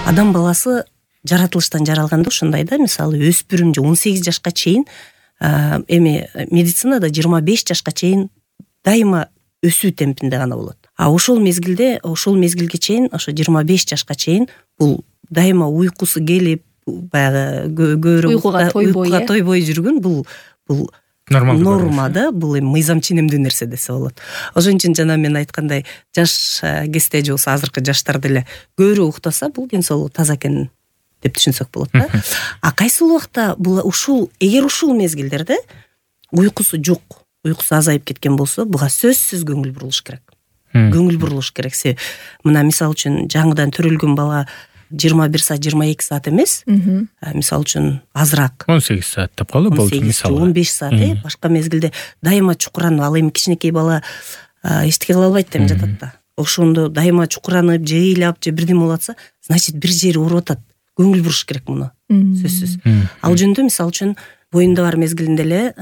Адам баласы жаратылыштан жаралганда ушундай да, мисалы өспүрүм же 18 жашка чейин эми медицинада 25 жашка чейин дайыма өсүү темпинде гана болот. А ошол мезгилге чейин, ошо 25 жашка чейин бул дайыма уйкусу келип, баягы көбүрөөк уйкуга тойбой жүргөн бул норма да, бул эми мыйзам ченемдүү нерсе десе болот. Ошон үчүн жана мен айткандай, жаш кезде же болсо азыркы жаштар деле көбүрөөк уктаса бул ден соолугу таза экенин деп түшүнсөк болот да. А кайсыл убакта бул эгер ушул мезгилдерде уйкусу жок, уйкусу азайып кеткен болсо, буга сөзсүз көңүл бурулуш керек. Көңүл бурулуш керек. Мына мисалы үчүн жаңыдан төрөлгөн бала 21 саат, 22 саат эмес, мисалы үчүн азыраак 18 саат деп калды болчу, мисалы 15 саат, башка мезгилде дайыма чукуранып, ал эми кичинекей бала эчтеке кыла албайт деп жатат да. Ошондо дайыма чукуранып, же ыйлап, же бирдеме болуп атса, значит бир жери ооруп атат. Көңүл буруш керек муну, сөзсүз. Ал жөнүндө мисалы үчүн боюнда бар мезгилинде эле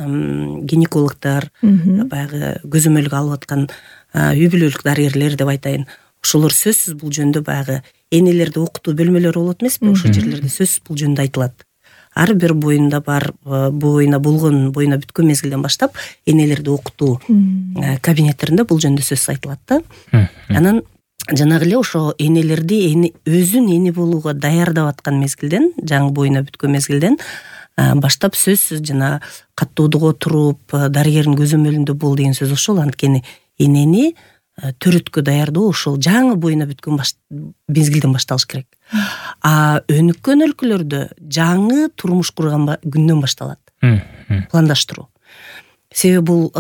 гинекологдор, баягы көзөмөлгө алып аткан үй бүлөлүк дарыгерлер деп айтайын, ошолор сөзсүз бул жөнүндө баягы энелерди окутуу бөлмөлөрү болот эмеспи? Ошол жерлерде сөзсүз бул жөнүндө айтылат. Ар бир боюнда бүткөн мезгилден баштап энелерди окутуу кабинеттеринде бул жөнүндө сөз айтылат да. Анан жанагы эле ошо энелерди өзүн эне болууга даярдап аткан мезгилден, жаңы боюна бүткөн мезгилден баштап сөзсүз жана каттоодуга отуруп, дарыгердин көзөмөлүндө бол деген сөз ошол. Анткени энени төрөткө даярдоо ошол жаңы боюна бүткөн мезгилден башталыш керек. А өнүккөн өлкөлөрдө жаңы турмуш курган күндөн башталат пландаштыруу. Себеби бул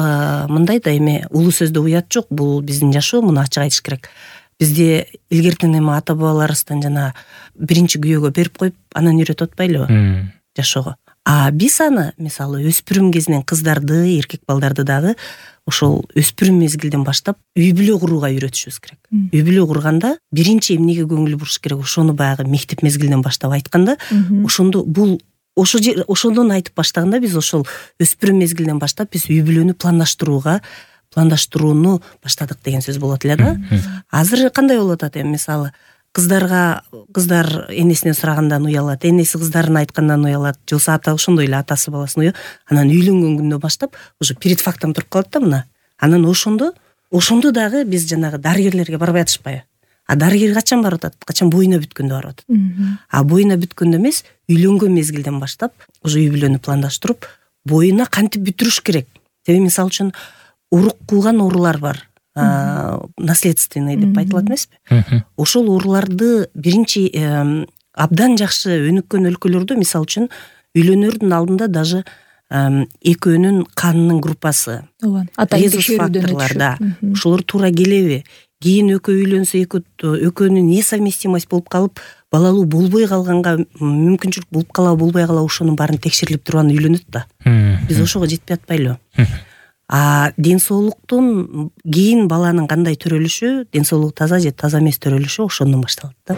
мындай да, эми улуу сөздө уят жок, бул биздин жашоо, муну ачык айтыш керек. Бизде илгертен эми ата бабаларыбыздан жана биринчи күйөөгө берип коюп, анан үйрөтүп атпайлыбы жашоого. А биз аны мисалы өспүрүм кезинен кыздарды, эркек балдарды дагы ошол өспүрүм мезгилден баштап үй бүлө курууга үйрөтүшүбүз керек. Үй бүлө курганда биринчи эмнеге көңүл буруш керек, ошону баягы мектеп мезгилинен баштап айтканда, ошондон айтып баштаганда биз ошол өспүрүм мезгилинен баштап биз үй бүлөнү пландаштырууну баштадык деген сөз болот эле да. Азыр кандай болуп атат эми, мисалы кыздар энесинен сурагандан уялат, энеси кыздарын айткандан уялат, же болбосо ата ошондой эле атасы баласын уялат. Анан үйлөнгөн күндөн баштап уже перед фактом туруп калат да мына. Анан ошондо дагы биз жанагы дарыгерлерге барбай атышпайбы? А дарыгер качан барып атат? Качан боюна бүткөндө барып атат. А боюна бүткөндө эмес, үйлөнгөн мезгилден баштап уже үй бүлөнү пландаштырып, боюна кантип бүтүрүш керек. Себеби мисалы үчүн урук кууган оорулар бар. Наследственный деп айтылат эмеспи? Ошол ооруларды биринчи абдан жакшы өнүккөн өлкөлөрдө, мисалы үчүн үйлөнөрдүн алдында даже экөөнүн канынын группасы, резус факторлар, ошолор туура келеби? Кийин экөө үйлөнсө, экөөнүн несовместимость болуп калып, балалуу болбой калганга мүмкүнчүлүк болуп калабы, болбой калабы, ошонун баарын текшерилип туруп анан үйлөнөт да. Биз ошого жетпей атпайлыбы? А ден соолуктун кийин баланын кандай төрөлүшү, ден соолугу таза же таза эмес төрөлүшү ошондон башталат да.